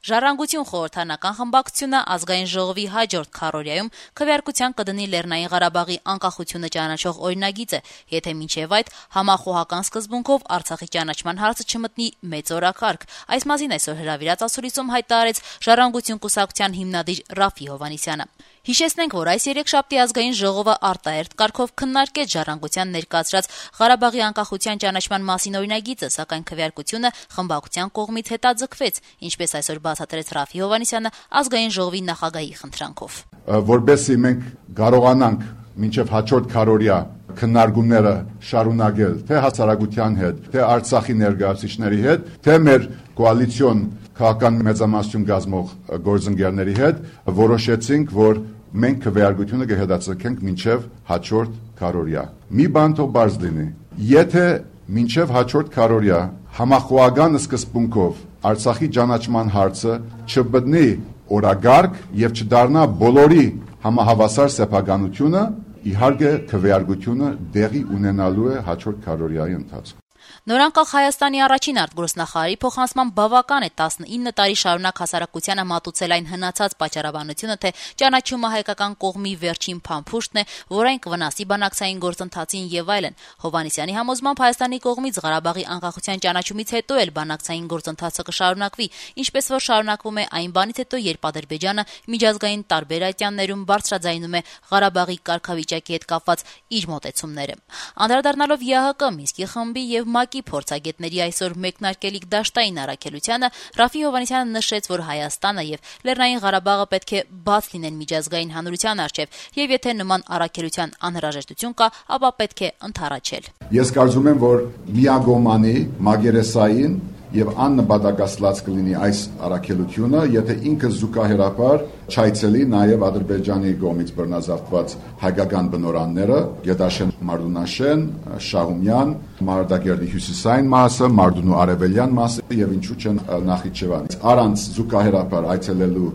Ժառանգություն խորհրդարանական խմբակցությունը ազգային ժողովի հաջորդ քառօրյայում քվեարկության կդնի Լեռնային Ղարաբաղի անկախությունը ճանաչող օրինագիծը, եթե մինչև այդ համախոհական սկզբունքով Արցախի ճանաչման հարցը չմտնի մեծ օրակարգ։ Այս մասին այսօր հրավիրած ասուլիսում հայտարարեց Ժառանգություն կուսակցության հիմնադիր Ռաֆի Հովհաննիսյանը։ Հիշեցնենք, որ այս երեքշաբթի ազգային ժողովը արտահերթ կարգով քննարկեց Ժառանգության ներկայացրած Ղարաբաղի անկախության ճանաչման մասին օրինագիծը, սակայն քվեարկությունը խմբակցության կողմից հետաձգվեց, ինչպես այսօր բացատրեց Ռաֆի Հովհաննիսյանը ազգային ժողովի նախագահի խնդրանքով։ Որպեսզի մենք կարողանանք մինչև հաջորդ քառօրյա քննարկումները շարունակել թե հասարակության հետ, թե Արցախի ներկայացուցիչների հետ, թե մեր կոալիցիոն քաղաքական մեծամասնություն կազմող գործընկերների հետ, որոշեցինք, որ մենք քվեարկությունը կհետաձգենք մինչև հաջորդ քառօրյա։ Մի բան թող բարձ լինի, եթե մինչև հաջորդ քառօրյա համախոհական սկզբունքով Արցախի ճանաչման հարցը չբտնի օրակարգ եւ չդառնա բոլորի համահավասար սեփականությունը, իհարկե քվեարկությունը դեղի ունենալու է հաջորդ քառօրյայի ընթացքում։ Նորանկախ Հայաստանի առաջին արտգործնախարարի փոխանցման բավական է 19 տարի շարունակ հասարակությանը մատուցել այն հնացած պատճառաբանությունը, թե ճանաչումը հայկական կողմի վերջին փամփուշտն է, որ այն կվնասի բանակցային գործընթացին եւ այլն։ Հովհաննիսյանի համոզմամբ Հայաստանի կողմից Ղարաբաղի անկախության ճանաչումից հետո էլ բանակցային գործընթացը կշարունակվի, ինչպես որ շարունակվում է այն բանից հետո, երբ Ադրբեջանը միջազգային տարբեր այցյաններում բարձրաձայնում է Ղարաբաղի կարգավիճակի հետ կապված իր մոտեցումները։ Անդրադառնալով ԵԱՀԿ Մինսկի խմբի եւ ՄԱԿ-ի փորձագետների այսօր մեկնարկելիք դաշտային առաքելությանը, Ռաֆի Հովհաննիսյանը նշեց, որ Հայաստանը եւ Լեռնային Ղարաբաղը պետք է բաց լինեն միջազգային հանրության առջեւ, եւ եթե նման առաքելության անհրաժեշտություն կա, ապա պետք է ընդառաջել։ Ես կարծում եմ, որ միագոմանի մագերեսային եւ աննպատակասլաց կլինի այս առաքելությունը, եթե ինքը զուգահեռաբար չայցելի նաեւ Ադրբեջանի կողմից բռնազավթված հայկական բնորանները, Գետաշեն, Մարդունաշեն, Շահումյան, Մարտակերտի հյուսիսային մասը, Մարդունու արևելյան մասը եւ ինչու՞ չեն Նախիջևան։ Առանց զուգահեռաբար այցելելու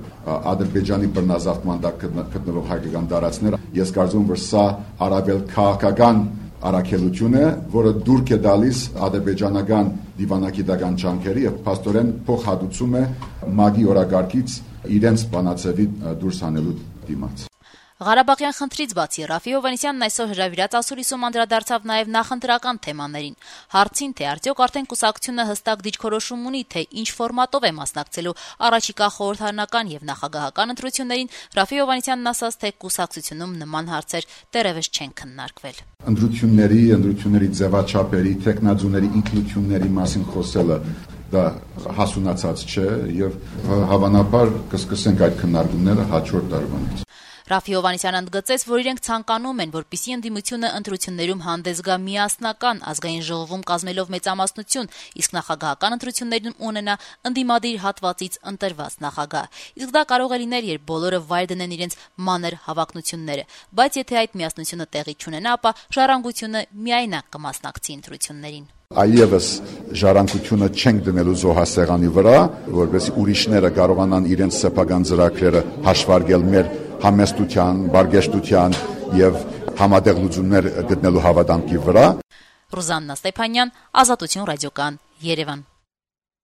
Ադրբեջանի բռնազավթման տակ գտնվող հայկական տարածքները, ես կարծում եմ, որ սա առավել քաղաքական առաքելություն է, որը դուրք է տալիս ադրբեջանական դիվանագիտական ջանքերի եւ փաստորեն փոխհատուցում է ՄԱԿ-ի օրակարգից իրենց բանաձևի դուրս հանելու դիմաց։ Ղարաբաղյան խնդրից բացի Ռաֆի Հովհաննիսյանն այսօր հրավիրած ասուլիսում անդրադարձավ նաև նախընտրական թեմաներին։ Հարցին, թե արդյոք արդեն կուսակցությունը հստակ դիրքորոշում ունի, թե ինչ ֆորմատով է մասնակցելու առաջիկա խորհրդարանական եւ նախագահական ընտրություններին, Ռաֆի Հովհաննիսյանն ասաց, թե կուսակցությունում նման հարցեր դեռևս չեն քննարկվել։ Ընտրությունների ձևաչափերի, տեխնազուների ինքնությունների մասին խոսելը դա հասունացած չէ եւ հավանաբար կսկսենք այդ քննարկումները հաջորդ տարվանից։ Ռաֆի Հովհաննիսյանը ընդգծեց, որ իրենք ցանկանում են, որպեսզի ընդդիմությունը ընտրություններում հանդես գա միասնական, ազգային ժողովում կազմելով մեծամասնություն, իսկ նախագահական ընտրություններում ունենա ընդդիմադիր հատվածից ընտրված նախագահ։ Իսկ դա կարող է լինել, երբ բոլորը վայր դնեն իրենց մանր հավակնությունները, բայց եթե այդ միասնությունը տեղի չունենա, ապա Ժառանգությունը միայնակ կմասնակցի ընտրություններին։ Այլևս ժառանգությունը չենք դնելու զոհասեղանի վրա, որովհետեւ ուրիշները կարողանան իրենց սեփական ծրագրերը հաշվարկել մեր համեստության, բարգեշտության եւ համատեղ լուծումներ գտնելու հավատամքի վրա։ Ռուզաննա Ստեփանյան, Ազատություն ռադիոկան, Երևան։